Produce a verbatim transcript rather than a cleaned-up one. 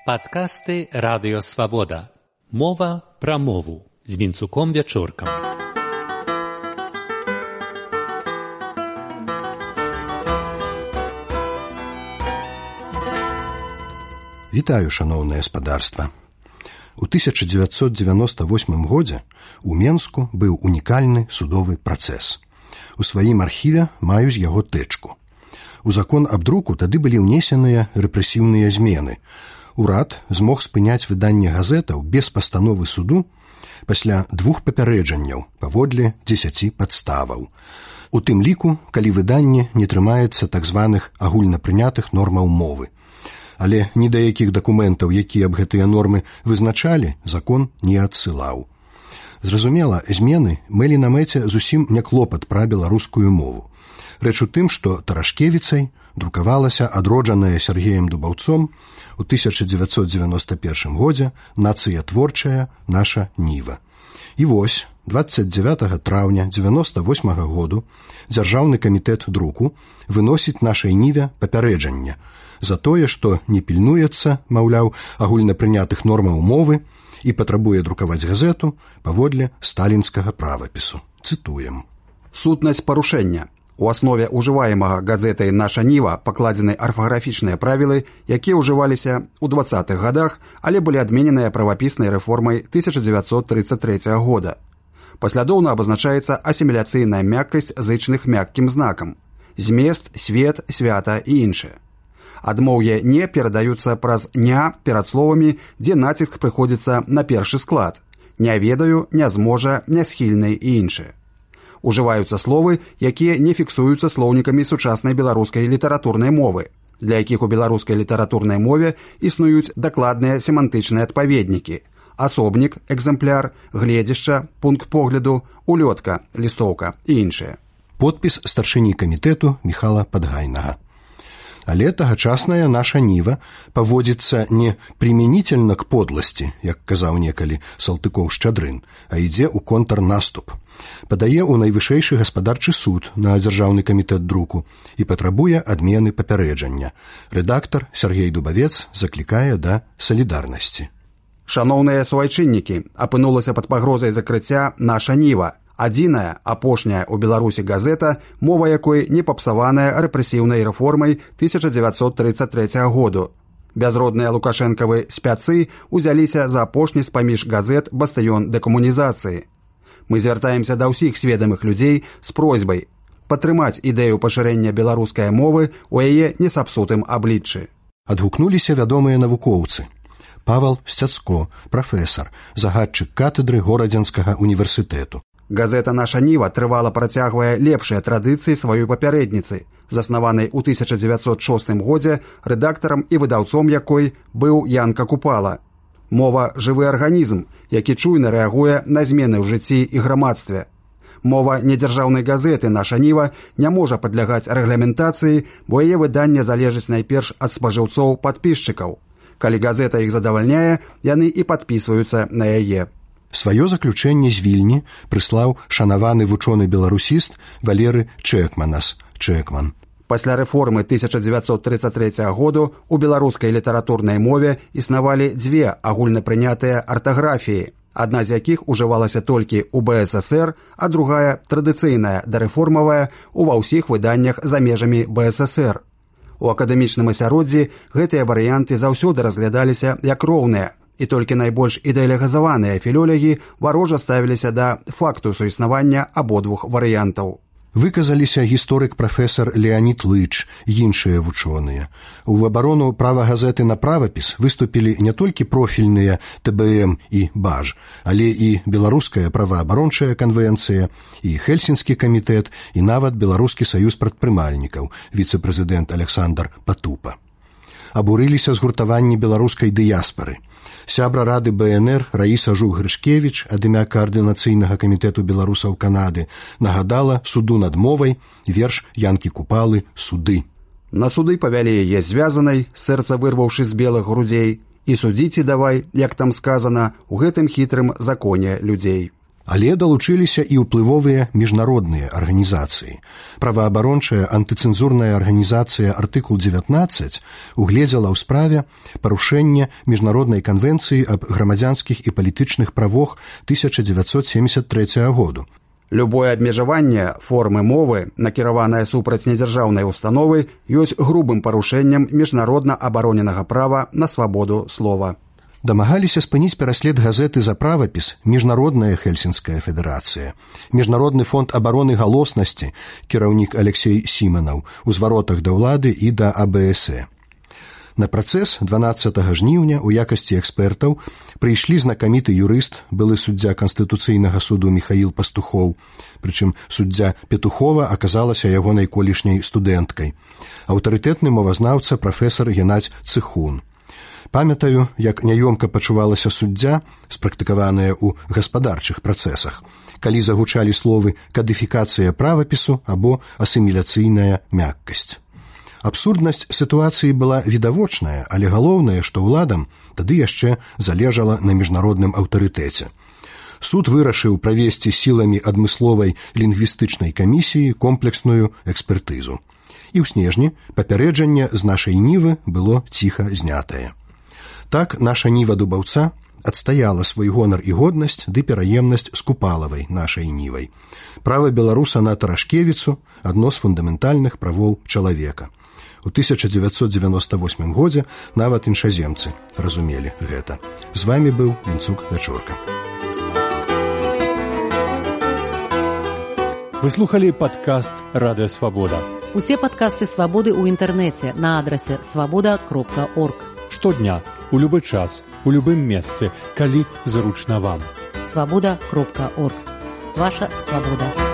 Падкасты Радыё Свабода. Мова пра мову з Вінцуком Вячоркам. Вітаю, шаноўнае спадарства. У тысяча дзевяцьсот дзевяноста восьмым годзе у Менску быў унікальны судовы працэс. У сваім архіве маю з яго тэчку. У закон аб друку тады былі ўнесеныя рэпрэсіўныя змены. Урад змог спыняць выданне газетаў без пастановы суду пасля двух папярэджанняў паводле дзесяці падставаў. У тым ліку, калі выданне не трымаецца так званых агульнапрынятых нормаў мовы. Але ні да якіх дакументаў, якія аб гэтыя нормы вызначалі, закон не адсылаў. Зразумела, змены мелі на мэце зусім не клопат пра беларускую мову. Рэч у тым, што Тарашкевіцай друкавалася адроджаная Сергеем Дубаўцом у тысяча дзевяцьсот дзевяноста першым годзе нацыятворчая наша ніва. І вось, дваццаць дзявятага траўня дзевяноста восьмага году Дзяржаўны камітэт друку выносіць нашай ніве папярэджанне за тое, што не пільнуецца, маўляў, агульнапрынятых нормаў мовы і патрабуе друкаваць газету паводле сталінскага правапісу. Цытуем. Сутнасць парушэння. У аснове ўжываемага газетай «Наша ніва» пакладзены арфаграфічныя правілы, якія ўжываліся ў дваццатых гадах, але былі адмененыя правапіснай рэформай тысяча дзевяцьсот трыццаць трэцяга года. Паслядоўна абазначаецца асіміляцыйная мяккасць зычных мяккім знакам, змест, свет, свята і іншае. Адмоўе «не» перадаюцца праз «ня» перад словамі, дзе націск прыходзіцца на першы склад. «Не ведаю», «не зможа», «нясхільны» і іншае. Ужываюцца словы, якія не фіксуюцца слоўнікамі сучаснай беларускай літаратурнай мовы, для якіх у беларускай літаратурнай мове існуюць дакладныя семантычныя адпаведнікі: асобнік, экземпляр, гледзішча, пункт погляду, улётка, лістоўка і іншыя. Подпіс старшыні камітэту Міхала Падгайнага. Але тагачасная наша ніва паводзіцца не прымянительна к подласці, як казаў некалі Салтыкоў-Шчадрын, а ідзе ў контрнаступ. Падае ў найвышэйшы гаспадарчы суд на Дзяржаўны камітэт друку і патрабуе адмены папярэджання. Рэдактар Сергей Дубавец заклікае да салідарнасці. Шаноўныя суайчыннікі, апынулася пад пагрозай закрыцця наша ніва. Адзіная, апошняя ў Беларусі газета, мова якой не папсаваная рэпрэсіўнай рэформай тысяча дзевяцьсот трыццаць трэцяга году. Бязродныя лукашэнкавы спяцы узяліся за апошні з-паміж газет бастыён дэкамунізацыі. Мы звяртаемся да ўсіх сведамых людзей з просьбай падтрымаць ідэю пашырэння беларускай мовы ў яе несапсутым абліччы. Адгукнуліся вядомыя навукоўцы. Павал Сцяцко, прафесар, загадчык катедры Горадзенскага універсітэту. Газета «Наша ніва» трывала працягвае лепшыя традыцыі сваёй папярэдніцы, заснаванай у тысяча дзевяцьсот шостым годзе рэдактарам і выдаўцом якой быў Янка Купала. Мова – жывы арганізм, які чуйна рэагуе на змены ў жыцці і грамадстве. Мова недзяржаўнай газеты «Наша ніва» не можа падлягаць рэгламентацыі, бо яе выданне залежыць найперш ад спажыўцоў-падпісчыкаў. Калі газета іх задавальняе, яны і падпісваюцца на яе. Сваё заключэнне з Вільні прыслаў шанаваны вучоны-беларусіст Валеры Чэкманас, Чэкман. Пасля рэформы тысяча дзевяцьсот трыццаць трэцяга году у беларускай літаратурнай мове існавалі дзве агульнапрынятыя артаграфіі, адна з якіх ужывалася толькі ў бэ эс эсэр, а другая, традыцыйная, дарэформавая, ува ўсіх выданнях за межамі бэ эс эсэр. У акадэмічным асяроддзі гэтыя варыянты заўсёды разглядаліся як роўныя, і толькі найбольш ідэалігізаваныя філолягі варожа ставіліся да факту суіснавання абодвух варыянтаў. Выказаліся гісторык прафесар Леанід Лыч і іншыя вучоныя. У абарону права газеты на правапіс выступілі не толькі профільныя тэ бэ эм і баж, але і Беларуская праваабарончая канвенцыя, і Хельсінскі камітэт, і нават Беларускі саюз прадпрымальнікаў, віцэ-прэзідэнт Александр Патупа. Абурыліся згуртаванні беларускай дыяспары. Сябра рады бэ эн эр Раіса Жук-Грышкевіч ад імя Каардынацыйнага камітэту беларусаў Канады нагадала суду над мовай верш Янкі Купалы «Суды». На суды павялі яе звязанай, сэрца вырваўшы з белых грудзей, і судзіце давай, як там сказана, у гэтым хітрым законе людзей. Але далучыліся і ўплывовыя міжнародныя арганізацыі. Праваабарончая антыцэнзурная арганізацыя «Артыкул дзевятнаццаць» угледзела ў справе парушэнне міжнароднай канвенцыі аб грамадзянскіх і палітычных правах тысяча дзевяцьсот семьдесят трэцяга году. Любое абмежаванне формы мовы, накіраванае супраць недзяржаўнай установы, ёсць грубым парушэннем міжнародна абароненага права на свабоду слова. Дамагаліся спыніць пераслед газеты за правапіс Міжнародная Хельсінская федэрацыя, Міжнародны фонд абароны галоснасці, кіраўнік Алексей Сіманаў, у зваротах да ўлады і да А Бэ Эс Э. На працэс дванаццатага жніўня ў якасці экспертаў прыйшлі знакаміты юрыст, былы суддзя Канстытуцыйнага суду Міхаіл Пастухоў, прычым суддзя Петухова аказалася ягонай колішняй студэнткай, аўтарытэтны мовазнаўца прафесар Геннадзь Цыхун. Памятаю, як няёмка пачувалася суддзя, спрактыкаваная ў гаспадарчых працэсах, калі загучалі словы «кадыфікацыя правапісу» або «асіміляцыйная мяккасць». Абсурднасць сітуацыі была відавочная, але галоўнае, што ўладам тады яшчэ залежала на міжнародным аўтарытэце. Суд вырашыў правесці сіламі адмысловай лінгвістычнай камісіі комплексную экспертызу. І ў снежні папярэджанне з нашай нівы было ціха знятае. Так наша ніва дубаўца адстаяла свой гонар і годнасць ды пераемнасць з купалавай нашай нівай. Права беларуса на Тарашкевіцу – адно з фундаментальных правоў чалавека. У тысяча дзевяцьсот дзевяноста восьмым годзе нават іншаземцы разумелі гэта. З вамі быў Вінцук Вячорка. Вы слухали падкаст «Радыё Свабода». Усе падкасты «Свабоды» ў інтэрнэце на адрасе свабода кропка орг. Штодня, у любы час, у любым месцы, калі зручна вам. свабода кропка орг. Ваша свабода.